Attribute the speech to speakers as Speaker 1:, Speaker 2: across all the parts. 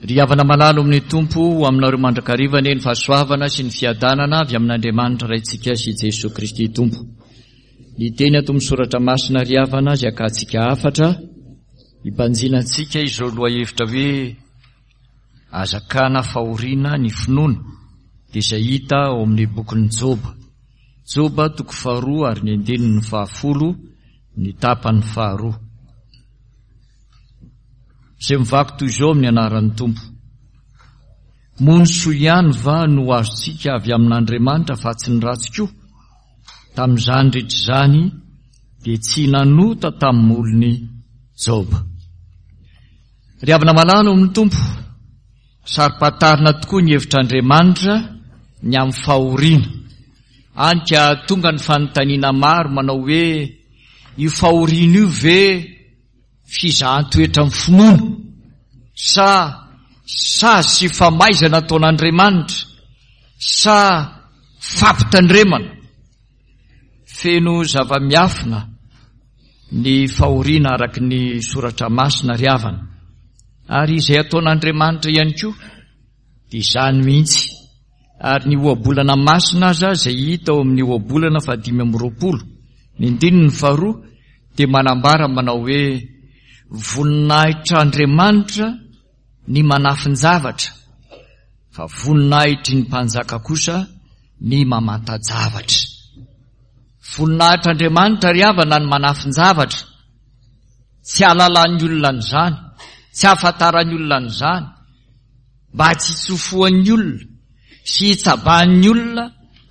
Speaker 1: Ry havana malala ao amin'ny Tompo, ho aminareo mandrakariva anie ny fahasoavana sy ny fiadanana avy amin'Andriamanitra Raintsika sy Jesoa Kristy Tompo. Ny teny ato amin'ny Soratra Masina ry havana izay akantsika hafatra, hibanjinantsika izao lohahevitra hoe Azakana fahoriana ny finoana, dia izay hita ao amin'ny bokin'i Joba. Joba toko faharoa ary ny andininy fahafolo, ny tapany faharoa. Izay mivaky toy izao amin'ny anaran'ny Tompo. Moa ny soa ihany va no azontsika avy amin'Andriamanitra fa tsy ny ratsy koa? Tamin'izany rehetra izany dia tsy nanota tamin'ny molony Joba. Ry havana malala ao amin'ny Tompo, saro-pantarina tokoa ny hevitr'Andriamanitra ny amin'ny fahoriana. Any ka tonga ny fanontaniana maro manao hoe io fahoriana io ve fizahan-toetra amin'ny finoana sa sazy sy famaizana ataon'Andriamanitra sa fampitandremana? Feno zava-miafina ny fahoriana araka ny soratra masina ry havana ary izay ataon'Andriamanitra ihany koa dia izany mihitsy ary ny ohabolana masina aza izay hita ao amin'ny ohabolana faha-25 ny andininy faharoa dia manambara manao hoe voninahitr'Andriamanitra ny manafin-javatra fa voninahitry ny mpanjaka kosa ny mamanta-javatra. Voninahitr'Andriamanitra ry havana ny manafin-javatra. Tsy hahalalan'ny olona an'izany, tsy hahafantaran'ny olona an'izany, mba tsy hitsofohan'ny olona sy hitsabahan'ny olona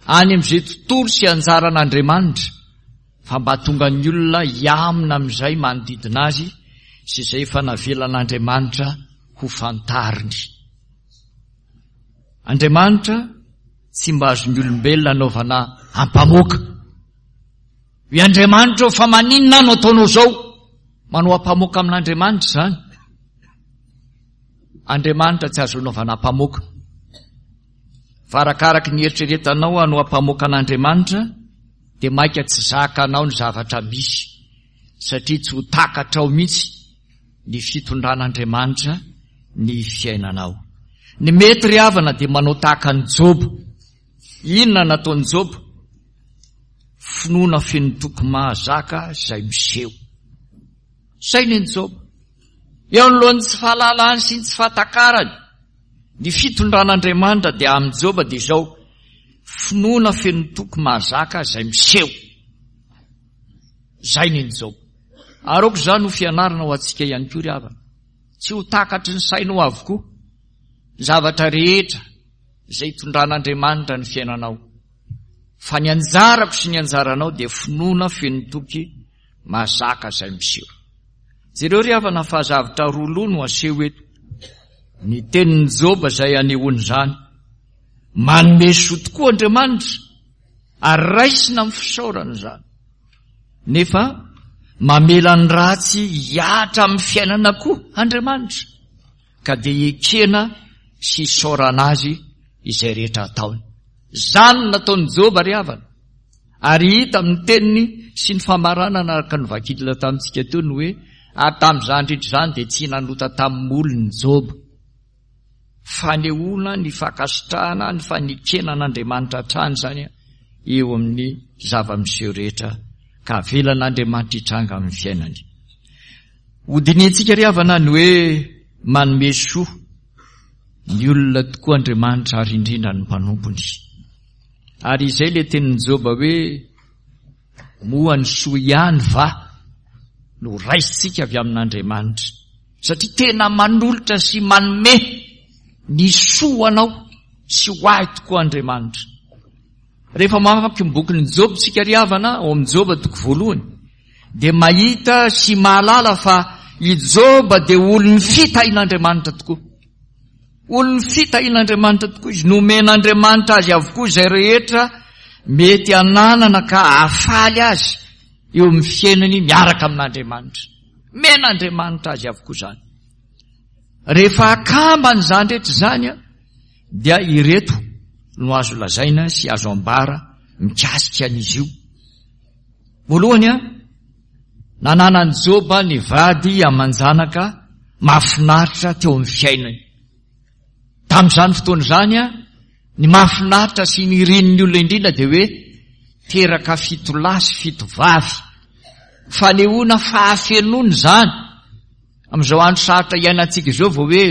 Speaker 1: any amin'izay tontolo sy anjaran'Andriamanitra, fa mba tonga ny olona hiamina amin'izay manodidina azy sy izay efa navelan'Andriamanitra ho fantariny. Andriamanitra tsy mba azon'ny olombelona anaovana ampamoaka. Hoe Andriamanitra ô fa maninona aho no ataonao izao? Manao ampamoaka amin'Andriamanitra izany. Andriamanitra tsy azo anaovana ampamoaka. Fa arakaraky ny eritreretanao hanao ampamoaka an'Andriamanitra dia maika tsy zakanao ny zavatra misy satria tsy ho takatrao mihitsy ny fitondran'Andriamanitra ny fiainanao. Ny mety ry havana dia manao tahaka an'i Joba. Inona nataon'i Joba? Finoana feno toky mahazaka izay miseho. Saina i Joba. Eo anoloan'ny tsy fahalalany sy ny tsy fahatakarany ny fitondran'Andriamanitra dia amin'i Joba dia izao, finoana feno toky mahazaka izay miseho. Izay ny Joba. Ary aoka izany ho fianarana ho antsika ihany koa ry havana. Tsy ho takatry ny sainao avokoa ny zavatra rehetra izay itondran'Andriamanitra ny fiainanao. Fa ny anjarako sy ny anjaranao dia finoana feno toky mahazaka izay miseho. Jereo ry havana fa zavtra roa loha no aseho eto. Ny tenin'i Joba izay anehoany izany. Manome soa tokoa Andriamanitra ary raisina amin'ny fisaorana izany. Nefa mamela ny ratsy hihatra amin'ny fiainana koa Andriamanitra ka dia ekena sy isaorana azy izay rehetra ataony. Izany no nataon'i Joba ry havana. Ary hita amin'ny teniny sy ny famaranana araka ny vakidina tamintsika teo ny hoe ary tamin'izany rehetra izany dia tsy nanota tamin'ny molony Joba. Fanehoana ny fankasitrahana ny fanekena an'Andriamanitra hatrany izany eo amin'ny zava-miseho rehetra ka avelan'Andriamanitra hitranga amin'ny fiainany. Hodinihintsika ry havana ny hoe manome soa ny olona tokoa Andriamanitra ary indrindra ny mpanompony. Ary izay ilay tenin'i Joba hoe moa ny soa ihany va no raisintsika avy amin'Andriamanitra? Satria tena manolotra sy manome ny soa ho anao sy ho ahy tokoa Andriamanitra. Rehefa mamaky ny bokin'i Joba isika ry havana, ao amin'i Joba toko voalohany, dia mahita sy mahalala fa i Joba dia olon'ny fitahian'Andriamanitra tokoa. Olon'ny fitahian'Andriamanitra tokoa izy. Nomen'Andriamanitra azy avokoa izay rehetra mety hananana ka hahafaly azy eo amin'ny fiainany miaraka amin'Andriamanitra. Men'Andriamanitra azy avokoa izany. Rehefa akambana izany rehetra izany dia ireto no azo lazaina sy azo ambara mikasika an'izy io. Voalohany a, nananan'i Joba ny vady aman-janaka mahafinaritra teo amin'ny fiainany. Tamin'izany fotoana izany, ny mahafinaritra sy ny irin'ny olona indrindra dia hoe teraka fitolahy sy fitovavy. Fanehoana fahafenoana izany. Amin'izao andro sarotra iainantsika izao vao hoe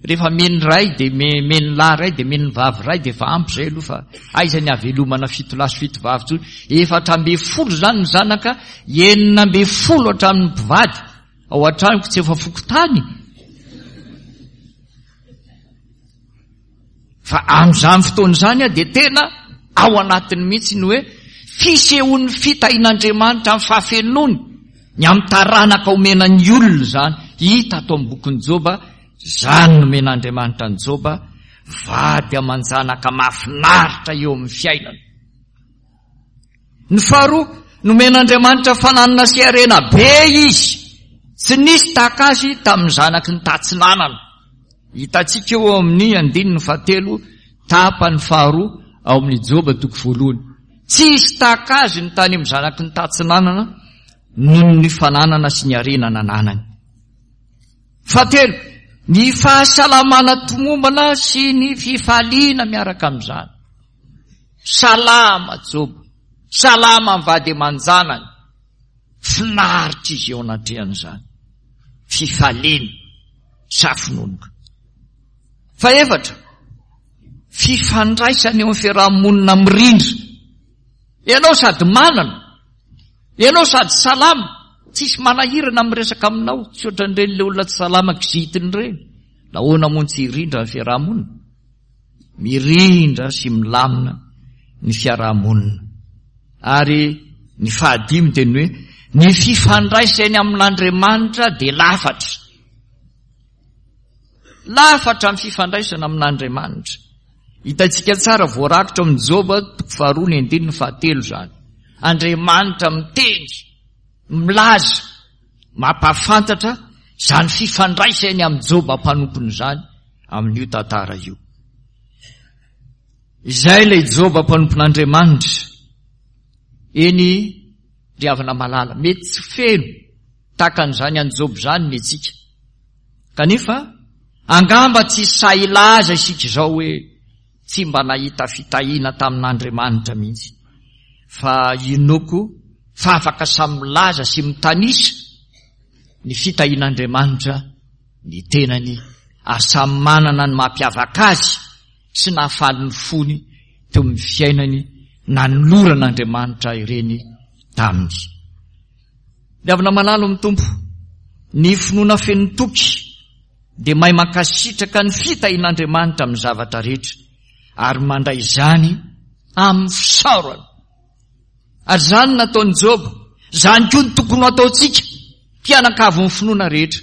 Speaker 1: rehefa meny iray dia meny lahy iray dia meny vavy iray dia efa ampy izay aloha fa aiza ny havelomana fitolahy sy fitovavy intsony. 14 izany ny zanaka, 16 hatramin'ny mpivady. Ao an-tranoko tsy efa fokontany. Fa amin'izany fotoana izany dia tena ao anatiny mihitsy ny hoe fisehoan'ny fitahian'Andriamanitra amin'ny fahafenoany ny amin'ny taranaka omena ny olona izany. Hita ato amin'ny bokin'i Joba, izany nomen'Andriamanitra an'i Joba, vady aman-janaka mahafinaritra eo amin'ny fiainana. Ny faharoa, nomen'Andriamanitra fananana sy harena be izy. Tsy nisy tahaka azy tamin'ny zanaky ny tatsinanana. Hitantsika eo amin'ny andininy fahatelo tapany faharoa ao amin'ny Joba toko voalohany. Tsy hisy tahaka azy ny tany amin'ny zanaky ny tatsinanana noho ny fananana sy ny harena nananany. Fahatelo, ny fahasalamana tomombana sy ny fifaliana miaraka amin'izany. Salama Joba, salama ny vady aman-janany. Finaritra izy eo anatrehan'izany. Fifaliana, safononoka. Fahefatra, fifandraisana eo amin'ny fiaraha-monina mirindra. Ianao sady manana, ianao sady salama, tsisy manahirana miresaka aminao, tsy ohatran'ireny le olona tsy salama kizitina ireny. Nahoana moa tsy hirindra ny fiaraha-monina? Mirindra sy milamina ny fiaraha-monina. Ary ny fahadimy dia ny hoe ny fifandraisany amin'Andriamanitra dia lafatra. Lafatra ny fifandraisana amin'Andriamanitra. Hitantsika tsara voarakitra amin'ny Joba toko faharoa ny andininy fahatelo izany. Andriamanitra miteny, milaza, mampahafantatra izany fifandraisany amin'i Joba mpanompony izany amin'io tantara io. Izay ilay Joba mpanompon'Andriamanitra. Eny, ry havana malala, mety tsy feno tahaka an'izany an'i Joba izany ny antsika. Kanefa, angamba tsy sahy hilaza isika izao hoe tsy mba nahita fitahiana tamin'Andriamanitra mihitsy. Fa inoako fa afaka samy milaza sy mitanisa ny fitahian'Andriamanitra ny tenany ary samy manana ny mampiavaka azy sy nahafaly ny fony teo amin'ny fiainany nanoloran'Andriamanitra ireny taminy. Ny avy namalalo amin'ny Tompo, ny finoana feno toky dia mahay mankasitraka ny fitahian'Andriamanitra amin'ny zavatra rehetra ary mandray izany amin'ny fisaorana. Ary izany no nataon'i Joba, izany koa no tokony ho ataontsika, mpianakavin'ny finoana rehetra.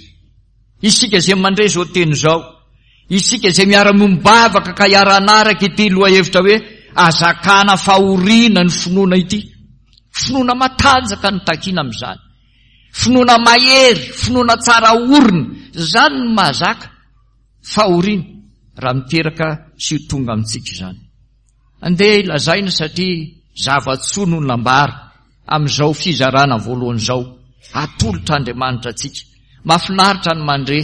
Speaker 1: Isika izay mandre izao teny izao, isika izay miara-miombavaka ka hiara-hanaraka ity lohahevitra hoe azakana fahoriana ny finoana ity. Finoana matanjaka no takiana amin'izany. Finoana mahery, finoana tsara orina, izany no mahazaka fahoriana raha miteraka sy ho tonga amintsika izany. Andeha lazaina satria zava-tsoa no nambara amin'izao fizarana voalohany izao atolotr'Andriamanitra antsika. Mahafinaritra ny mandre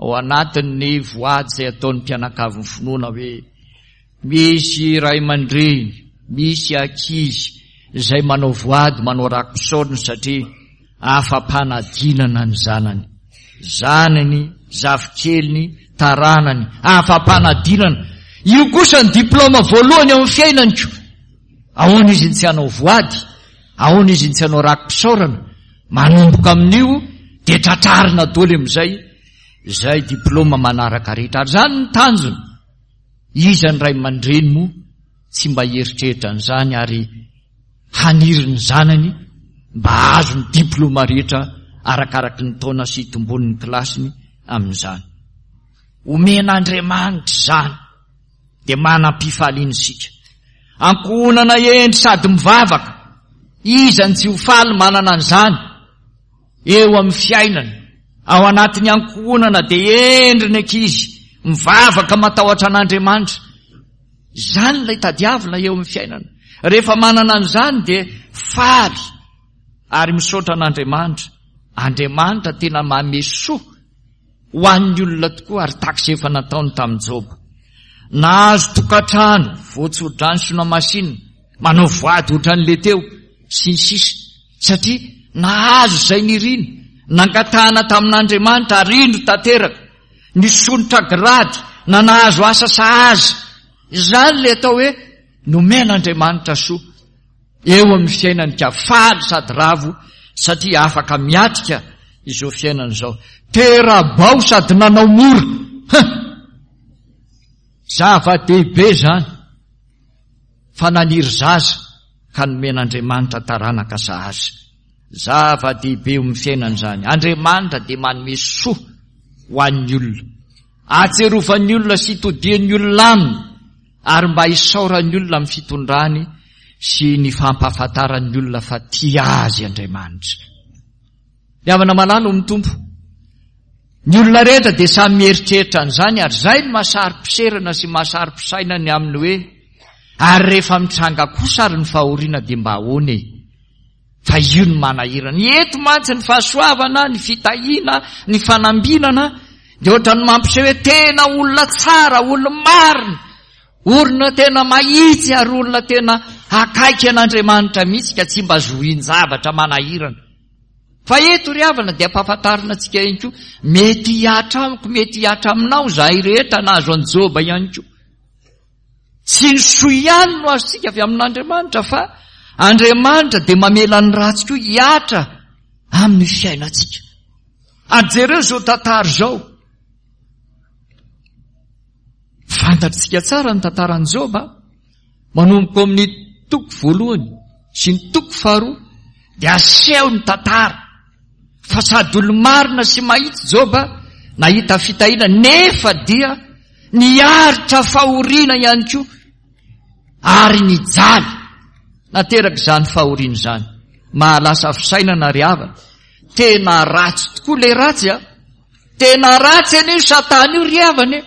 Speaker 1: ao anatin'ny voady izay ataon'ny mpianakavin'ny finoana hoe misy ray aman-dreny, misy ankizy izay manao voady, manao raki-pisaorana satria afa-panadinana ny zanany. Zanany, zafikeliny, taranany, afa-panadinana. Io kosa ny diplaoma voalohany ao amin'ny fiainany ko. Ahoana izy ny tsy hanao voady? Ahoana izy ny tsy hanao raki-pisaorana? Manomboka amin'io dia tratrarina daholo amin'izay izay diplaoma manaraka rehetra. Ary izany ny tanjona. Iza ny ray aman-dreny moa tsy mba hieritreritra an'izany ary haniry ny zanany mba hahazo ny diplaoma rehetra arakaraky ny taona sy itombon'ny kilasiny amin'izany. Omen'Andriamanitra izany dia manam-pifaliana isika. Ankohonana hendry sady mivavaka, iza no tsy ho faly manana an'izany eo amin'ny fiainany? Ao anatin'ny ankohonana dia hendry ny ankizy, mivavaka matahotra an'Andriamanitra. Izany ilay tadiavina eo amin'ny fiainana. Rehefa manana an'izany dia faly ary misaotra an'Andriamanitra. Andriamanitra tena manome soa. ho an'ny olona tokoa ary tahaka izay efa nataony tamin'i Joba. Nahazo tokantrano, voatsodrano sy nohamasinina, manao voady ohatran'ilay teo, sy ny sisa Satria nahazo izay niriny, nangatahana tamin'Andriamanitra ary indro tanteraka, nisondrotra grady na nahazo asa sahaza. Izany ilay atao hoe nomen'Andriamanitra soa eo amin'ny fiainany ka faly sady ravo satria afaka miatrika izao fiainana izao. Tera-bao sady nanao mora. Huh! Zava-dehibe izany fa naniry zaza ka nomen'Andriamanitra taranaka sahaza. Zava-dehibe eo amin'ny fiainana izany. Andriamanitra dia manome soa ho an'ny olona. Ahatsiarovan'ny olona sy itodian'ny olona aminy ary mba hisaoran'ny olona amin'ny fitondrany sy ny fampahafantaran'ny olona fa tia azy Andriamanitra. Ny havana malala ao amin'ny Tompo. Ny olona rehetra dia samy mieritreritra an'izany ary izay no mahasaro-piserana sy mahasaro-pisaina ny amin'ny hoe ary rehefa mitranga kosa ary ny fahoriana dia mba ahoana e? Fa io no manahirana. Eto mantsy ny fahasoavana, ny fitahiana, ny fanambinana dia ohatran'ny mampiseho hoe tena olona tsara, olona marina, olona tena mahitsy ary olona tena akaiky an'Andriamanitra mihitsy ka tsy mba zohin-javatra manahirana. Fa eto ry havana dia ampahafantarina antsika ihany koa, mety hihatra amiko, mety hihatra aminao izahay rehetra nahazo an'i Joba ihany koa. Tsy ny soa ihany no azontsika avy amin'Andriamanitra fa Andriamanitra dia mamela ny ratsy koa hihatra amin'ny fiainantsika. Ary jereo izao tantara izao. Fantatritsika tsara ny tantaran'i Joba. Manomboka amin'ny toko voalohany sy ny toko faharoa dia aseho ny tantara fa sady olo-marina sy mahitsy Joba nahita fitahiana nefa dia Niaritra fahoriana ihany koa ary nijaly nateraka izany fahoriana izany. Mahalasa fisainana ry havana. Tena ratsy tokoa ilay ratsy a! Tena ratsy anie io satana io ry havana e!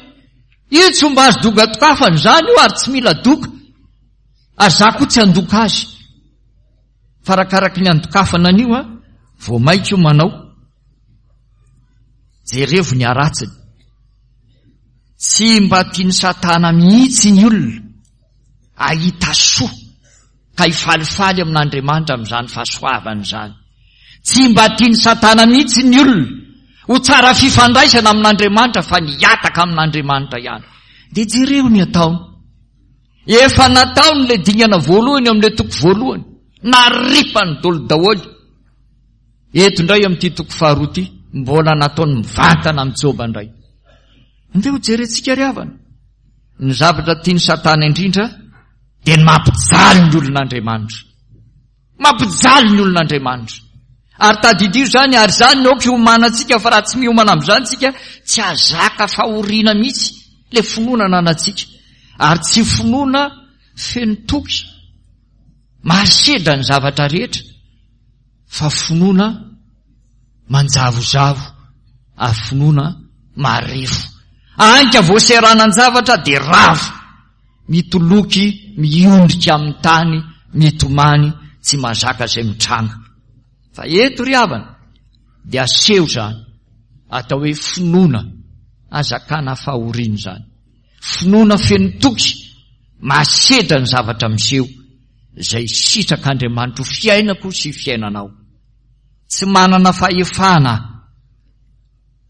Speaker 1: Io tsy mba azo dogatokafana izany io ary tsy mila doka. Ary za koa tsy handoka azy. Fa arakaraky ny handokafana an'io a, vao maika io manao. Jerevo ny haratsiny. Tsy mba tian'i Satana mihitsy ny olona hahita soa ka hifalifaly amin'Andriamanitra amin'izany fahasoavana izany. Tsy mba tian'i Satana mihitsy ny olona ho tsara fifandraisana amin'Andriamanitra fa ny hihataka amin'Andriamanitra ihany. Dia jereo ny ataony. Efa nataony ilay dingana voalohany eo amin'ilay toko voalohany. Naripany daholo daholo. Eto indray amin'ity toko faharoa ity, mbola nataony mivantana amin'i Joba indray. Andeha ho jerentsika ry havana. Ny zavatra tian'i Satana indrindra dia ny mampijaly ny olon'Andriamanitra. Mampijaly ny olon'Andriamanitra. Ary tadidio izany, ary izany no aoka hiomanantsika fa raha tsy miomana amin'izany tsika, tsy hahazaka fahoriana mihitsy ilay finoana ananantsika. Ary tsy finoana feno toky, mahasedra ny zavatra rehetra. fa finoana manjavozavo ary finoana marefo. Anka voaseranan-javatra dia rava, mitoloky miondrika amin'ny tany, mitomany, tsy mahazaka izay mitranga. Fa eto ry havana dia aseho izany atao hoe finoana azakana fahoriana izany. Finoana feno toky mahasedra ny zavatra miseho izay sitrak'Andriamanitra ho fiainako sy fiainanao. Tsy manana fahefana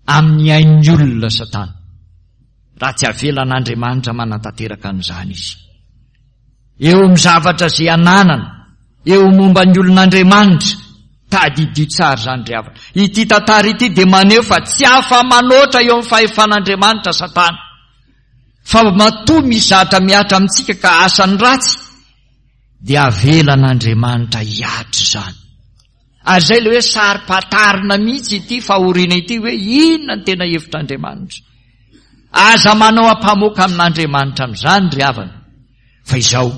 Speaker 1: amin'ny ain'ny olona Satana, raha tsy avelan'Andriamanitra manatanteraka an'izany izy. Eo amin'ny zavatra izay ananana, eo momba ny olon'Andriamanitra, tadidio tsara izany ry havana. Ity tantara ity dia maneho fa tsy afa-manoatra eo amin'ny fahefan'Andriamanitra Satana. Fa matoa misy zatra mihatra amintsika ka asany ratsy dia avelan'Andriamanitra hihatra izany. Ary izay ilay hoe saro-patarina mihitsy ity fahoriana ity hoe inona ny tena hevitr'Andriamanitra. Aza manao ampamoaka amin'Andriamanitra amin'izany ry havana fa izao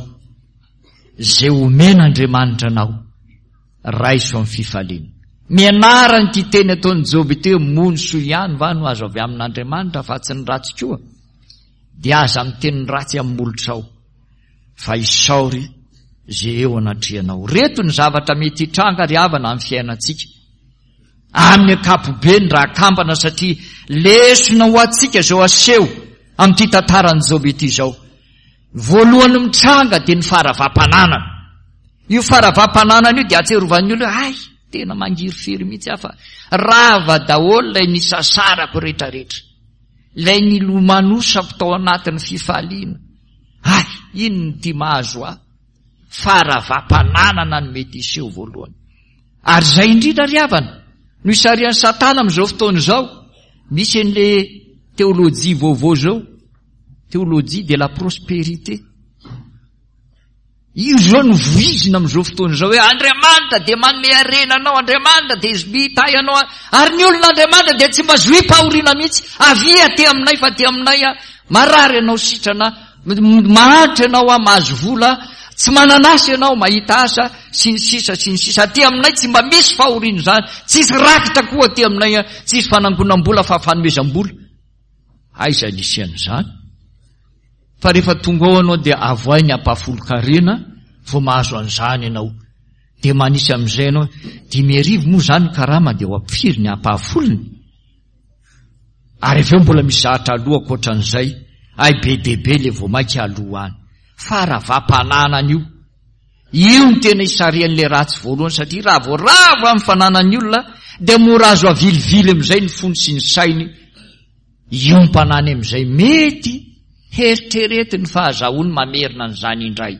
Speaker 1: izay omen'Andriamanitra anao Raiso amin'ny fifaliana. Mianara an'ity teny ataon'i Joba ity hoe moa ny soa ihany va no azo avy amin'Andriamanitra fa tsy ny ratsy koa? Dia aza miteny ny ratsy amin'ny molotrao fa isaory izay eo anatrehanao. Reto ny zavatra mety hitranga ry havana amin'ny fiainantsika. Amin'ny ankapobeny raha akambana satria lesona ho antsika izao aseho amin'ity tantaran'i Joba ity izao. Voalohany mitranga dia ny faharavam-pananana. Io faharavam-pananana io dia ahatsiarovan'ny olona hoe hay, tena mangirifiry mihitsy aho fa rava daholo ilay nisasarako rehetrarehetra. Ilay nilomanosako tao anatin'ny fifaliana. Hay, inona ity mahazo ahy? Faharavam-pananana no mety hiseho voalohany. Ary izay indrindra ry havana no isarihan'i Satana amin'izao fotoana izao. Misy an'le teolojia vaovao izao, théologie de la prospérité. Io izao no voizina amin'izao fotoana izao hoe Andriamanitra dia manome harena anao, Andriamanitra dia mitahy anao, ary ny olona Andriamanitra dia tsy mba zohim-pahoriana mihitsy. Avia aty aminay fa aty aminay marary ianao sitrana, mahantra ianao mahazo vola, tsy manana asa ianao mahita asa, sy ny sisa sy ny sisa. Aty aminay tsy mba misy fahoriana izany, tsisy rakitra koa aty aminay, tsisy fanangonam-bola fa fanomezam-bola. Aiza nisy an'izany? Fa rehefa tonga ao ianao dia avoahy ny ampahafolon-karena vao mahazo an'izany ianao. Dia manisy amin'izay ianao, 5000 moa izany ny karama dia ho ampifiry ny ampahafolony? Ary avy eo mbola misy zahatra aloha ankoatran'izay, hay be dia be ilay vao mainka aloha any. Faharavam-pananana io. Io no tena isarihan'ilay ratsy voalohany satria raha vao rava ny fananan'ny olona dia mora azo avilivily amin'izay ny fony sy ny sainy hiompana any amin'izay mety heritreretiny fa azahoany mamerina an'izany indray.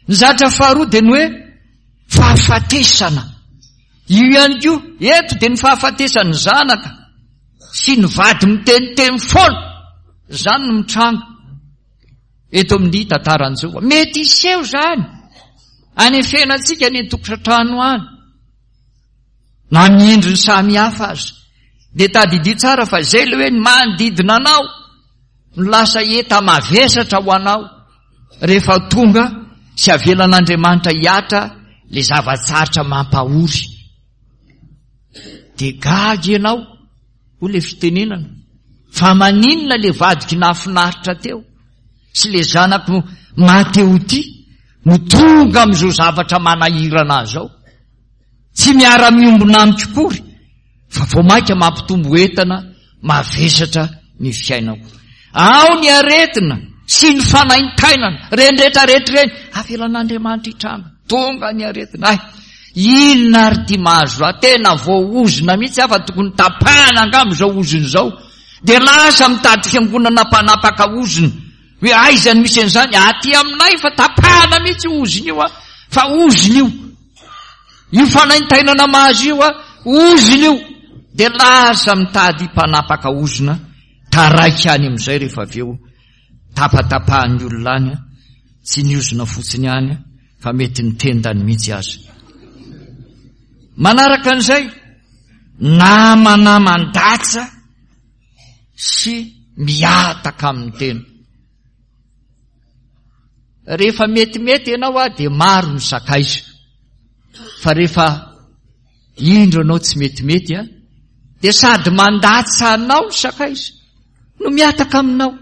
Speaker 1: Ny zatra faharoa dia ny hoe fahafatesana. Io ihany koa, eto dia ny fahafatesan'ny zanaka sy ny vady miteniteny foana. Izany no mitranga. Eto amin'ny tantaran'i Joba. Mety hiseho izany any amin'ny fiainantsika any an-tokantrano any. Na amin'ny endriny samy hafa aza. Dia tadidio tsara fa izay ilay hoe ny manodidina anao no lasa enta-mavesatra ho anao rehefa tonga sy avelan'Andriamanitra hihatra ilay zava-tsarotra mampahory. Dia gaga ianao. Hoy le fitenenana, fa maninona le vadiko nahafinaritra teo sy le zanako maha-te ho tia no tonga amin'izao zavatra manahirana azy zao? Tsy miara-miombona amiko akory fa vao mainka mampitombo entana mavesatra ny fiainako. Ao ny aretina sy ny fanaintainana, ireny rehetra rehetra ireny, avelan'Andriamanitra hitranga. Tonga ny aretina. Hay, inona ary ity mahazo ahy? Tena voaozona mihitsy aho fa tokony tapahana angamba izao ozona izao. Dia lasa mitady fiangonana mpanapaka ozona. Hoe aiza no misy an'izany? Aty aminay fa tapahana mihitsy io ozona io fa ozona io. Io fanaintainana mahazo io ozona io. Dia lasa mitady mpanapaka ozona. Taraiky any amin'izay rehefa avy eo. Tapatapahan'ny olona any, tsy ny ozona fotsiny ihany fa mety ny tendany mihitsy aza. Manaraka an'izay, namana mandatsa sy mihataka amin'ny tena. Rehefa metimety ianao ah dia maro ny sakaiza. Fa rehefa Indro anao tsy metimety a! Dia sady mandatsa anao ny sakaiza no mihataka aminao.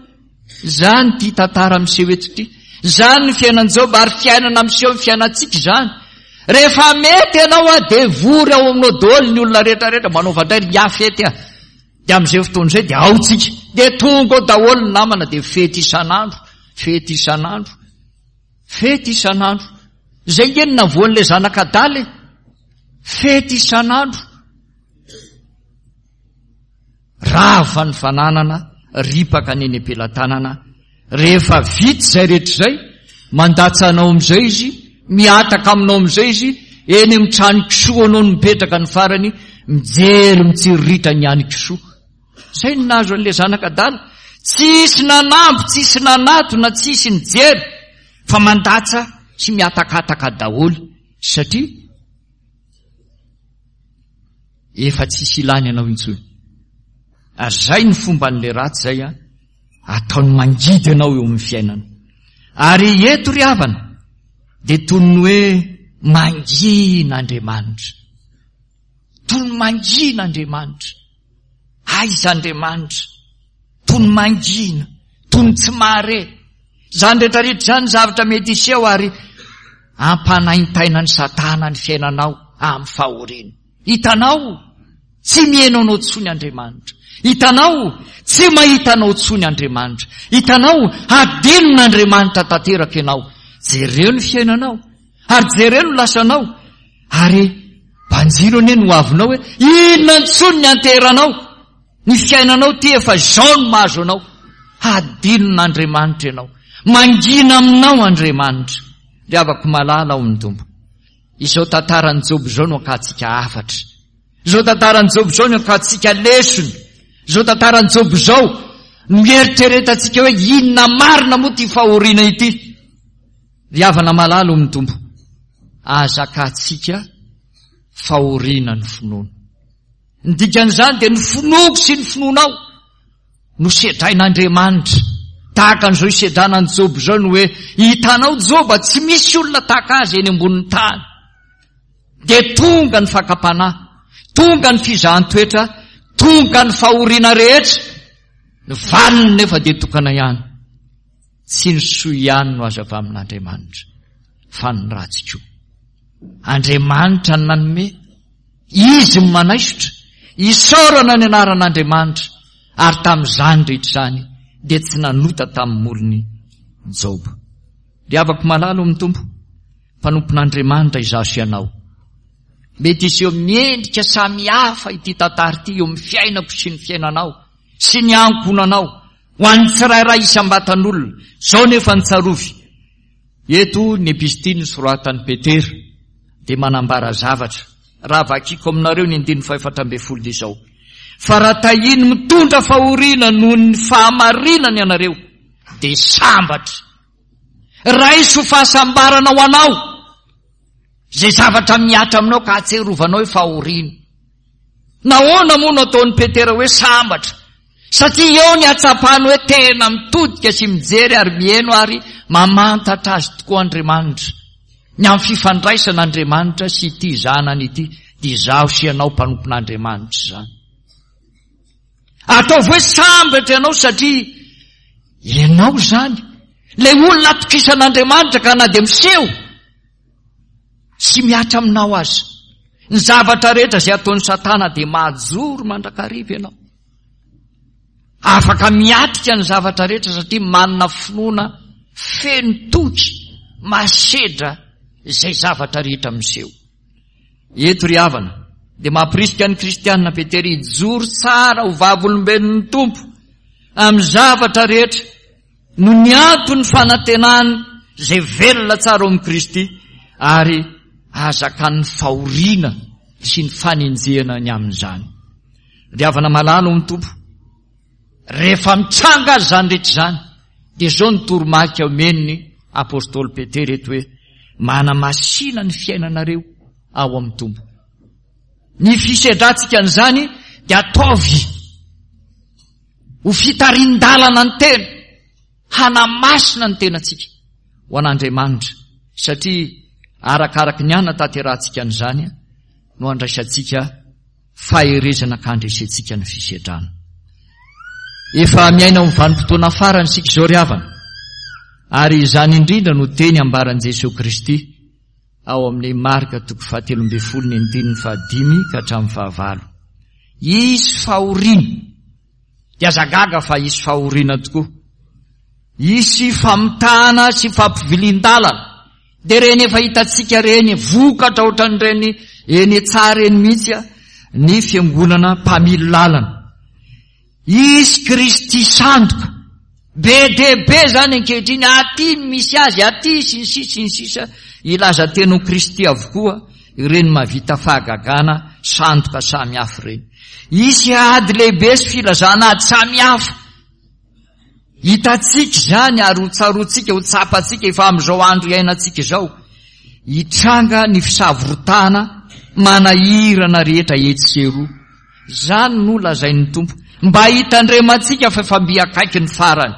Speaker 1: Izany ity tantara miseho eto ity. Izany ny fiainan'i Joba ary fiainana miseho ny fiainantsika izany. Rehefa mety ianao a dia vory ao aminao daholo ny olona rehetra rehetra manaova indray ry ngiahy fety a! Dia amin'izay fotoana izay dia ao tsika. Dia tonga ao daholo ny namana dia fety isan'andro, fety isan'andro. Fety isan'andro. Izay nge no navoan'ilay zanak'adala e. Fety isan'andro. Rava ny fananana, ripaka ny eny am-pelatanana. Rehefa vita izay rehetra izay, mandatsa anao amin'izay izy, mihataka aminao amin'izay izy, eny amin'ny trano kisoa anao no mipetraka ny farany, mijery mitsiriritra ny any kisoa. Izay no nahazo an'ilay zanak'adala. Tsisy nanamby, tsisy nanatona, tsisy nijery fa mandatsa sy mihatakataka daholo satria efa tsisy ilany anao intsony. Ary izay ny fomban'ilay ratsy izay an, ataony mangidy anao eo amin'ny fiainana. Ary eto ry havana dia toy ny hoe mangina Andriamanitra. Toy ny mangina Andriamanitra. Aiza Andriamanitra? Toy ny mangina, toy ny tsy mahare. Izany rehetra rehetra izany zavatra mety hiseho ary ampanaintainan'i Satana ny fiainanao amin'ny fahoriana. Hitanao, tsy miheno anao intsony Andriamanitra. Hitanao, tsy mahita anao intsony Andriamanitra. Hitanao, hadinon'Andriamanitra tanteraka ianao. Jereo ny fiainanao, ary jereo ny lasanao, ary banjino anie ny hoavinao hoe inona intsony ny anteranao. Ny fiainanao ity efa izao no mahazo anao. Hadinon'Andriamanitra ianao. Mangina aminao Andriamanitra. Ry havako malala ao amin'ny Tompo. Izao tantaran'i Joba izao no akantsika hafatra. Izao tantaran'i Joba izao no akantsika lesona. Izao tantaran'i Joba izao no ieritreretantsika hoe inona marina moa ity fahoriana ity. Ry havana malala ao amin'ny Tompo, aza akantsika fahoriana ny finoana. Ny dikan'izany dia ny finoako sy ny finoanao no sedrain'Andriamanitra. Tahaka an'izao isedrana an'i Joba izao ny hoe, hitanao Joba, tsy misy olona tahaka azy eny ambonin'ny tany. Dia tonga ny fakam-panahy, tonga ny fizahan-toetra, tonga ny fahoriana rehetra. Ny valiny nefa dia tokana ihany. Tsy ny soa ihany no azo avy amin'Andriamanitra, fa ny ratsy koa. Andriamanitra no nanome, Izy no manaisotra. Isaorana ny anaran'Andriamanitra, ary tamin'izany rehetra izany dia tsy nanota tamin'ny molony Joba. Ry havako malala ao amin'ny Tompo, mpanompon'Andriamanitra izaho sy ianao. Mety hiseho miendrika samihafa ity tantara ity eo amin'ny fiainako sy ny fiainanao sy ny ankohonanao, ho an'ny tsirairay isam-batan'olona. Izao nefa ny tsarovy, Eto ny epistily nosoratan'i Petera dia manambara zavatra. Raha vakiko aminareo ny andininy fahefatra ambin'ny folo dia izao, Fa raha tahiny mitondra fahoriana noho ny fahamarinana ianareo, dia sambatra. Raiso fahasambarana ho anao izay zavatra mihatra aminao ka ahatsiarovanao hoe fahoriana. Nahoana moa no ataon'i Petera hoe sambatra? Satria eo ny hatsapany hoe tena mitodika sy mijery ary miheno ary mamantatra azy tokoa Andriamanitra. Ny amin'ny fifandraisana Andriamanitra sy ity zanany ity dia izaho sy ianao mpanompon'Andriamanitra izany. Ataovy hoe sambatra ianao satria ianao izany ilay olona atokisan'Andriamanitra ka na dia miseho sy mihatra aminao aza. Ny zavatra rehetra izay ataon'i Satana dia mahajoro mandrakariva ianao. Afaka miatrika ny zavatra rehetra satria manana finoana feno toky mahasedra izay zavatra rehetra miseho. Eto ry havana dia mampirisika ny kristianina Petera hijoro tsara ho vavolombelon'ny Tompo amin'ny zavatra rehetra no ny anton'ny fanantenany izay velona tsara ao amin'i Kristy ary ahazakan'ny fahoriana sy ny fanenjehana ny amin'izany. Ry havana malala ao amin'ny Tompo, rehefa mitranga azy izany rehetra izany, dia izao ny toromarika omen'ny apostoly Petera eto hoe, manamasina ny fiainanareo ao amin'ny Tompo. Ny fisedrantsika an'izany dia ataovy ho fitarin-dalana ny tena, hanamasina ny tenantsika ho an'Andriamanitra, satria arakaraky ny hanatanterahantsika an'izany no handraisantsika faherezana ka handresentsika ny fisedrana. Efa miaina amin'ny vanim-potoana farany isika izao ry havana, ary izany indrindra no teny ambaran'i Jesoa Kristy ao amin'ny Marka toko fahatelo ambin'ny folo ny andininy fahadimy ka hatramin'ny fahavalo. Hisy fahoriana. Dia aza gaga fa hisy fahoriana tokoa. Hisy famitahana sy fampivilian-dalana. Dia ireny efa hitantsika ireny vokatra ohatran'ireny eny tsara eny mihitsy ny fiangonana mpamily lalana. Hisy Kristy sandoka. Be dia be izany ankehitriny, aty ny misy azy, aty sy ny sisa sy ny sisa, hilaza tena ho Kristy avokoa ireny mahavita fahagagana sandoka samy hafa ireny. Hisy ady lehibe sy filazana ady samy hafa. Hitantsika izany ary ho tsaroantsika, ho tsapantsika efa amin'izao andro iainantsika izao. Hitranga ny fisavoritahana manahirana rehetra etsy sy eroa. Izany no lazain'ny Tompo, mba hitandremantsika fa efa mby akaiky ny farany.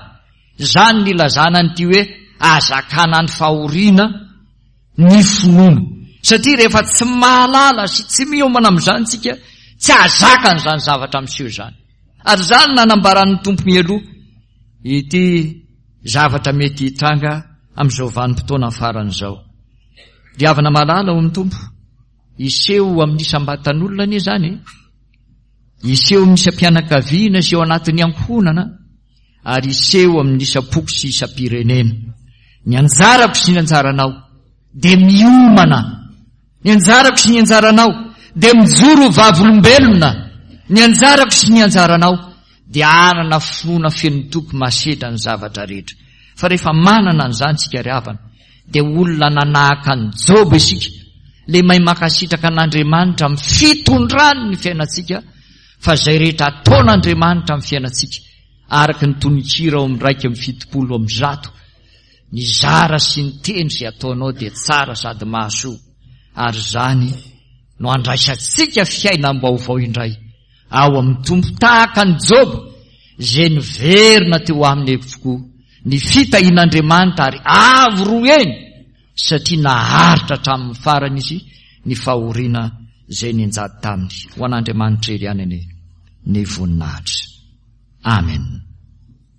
Speaker 1: Izany no ilazana an'ity hoe ahazakana ny fahoriana ny finoana. Satria rehefa tsy mahalala sy tsy miomana amin'izany isika, tsy hahazaka an'izany zavatra miseho izany. Ary izany no nanambaran'ny Tompo mialoha ity zavatra mety hitranga amin'izao vanim-potoana farany izao. Ry havana malala ao amin'ny Tompo. Hiseho amin'ny isam-batan'olona anie izany e. Hiseho amin'ny isam-pianakaviana sy ao anatin'ny ankohonana ary hiseho amin'ny isam-poko sy isam-pirenena. Ny anjarako sy ny anjaranao dia miomana. Ny anjarako sy ny anjaranao dia mijoro ho vavolombelona. Ny anjarako sy ny anjaranao dia hanana finoana feno toky mahasedra ny zavatra rehetra. Fa rehefa manana an'izany isika ry havana, dia olona nanahaka an'i Joba isika, ilay mahay mankasitraka an'Andriamanitra amin'ny fitondrany ny fiainantsika, fa izay rehetra ataon'Andriamanitra amin'ny fiainantsika, araka ny tononkira ao amin'ny 171, ny zara sy ny teny izay ataonao dia tsara sady mahasoa, ary izany no andraisantsika fiainam-baovao indray. ao amin'ny Tompo tahaka an'i Joba izay niverina teo aminy avokoa ny fitahian'Andriamanitra ary avo roa heny satria naharitra hatramin'ny farany izy ny fahoriana izay nianjady taminy. Ho an'Andriamanitra irery ihany anie ny voninahitra. Amen.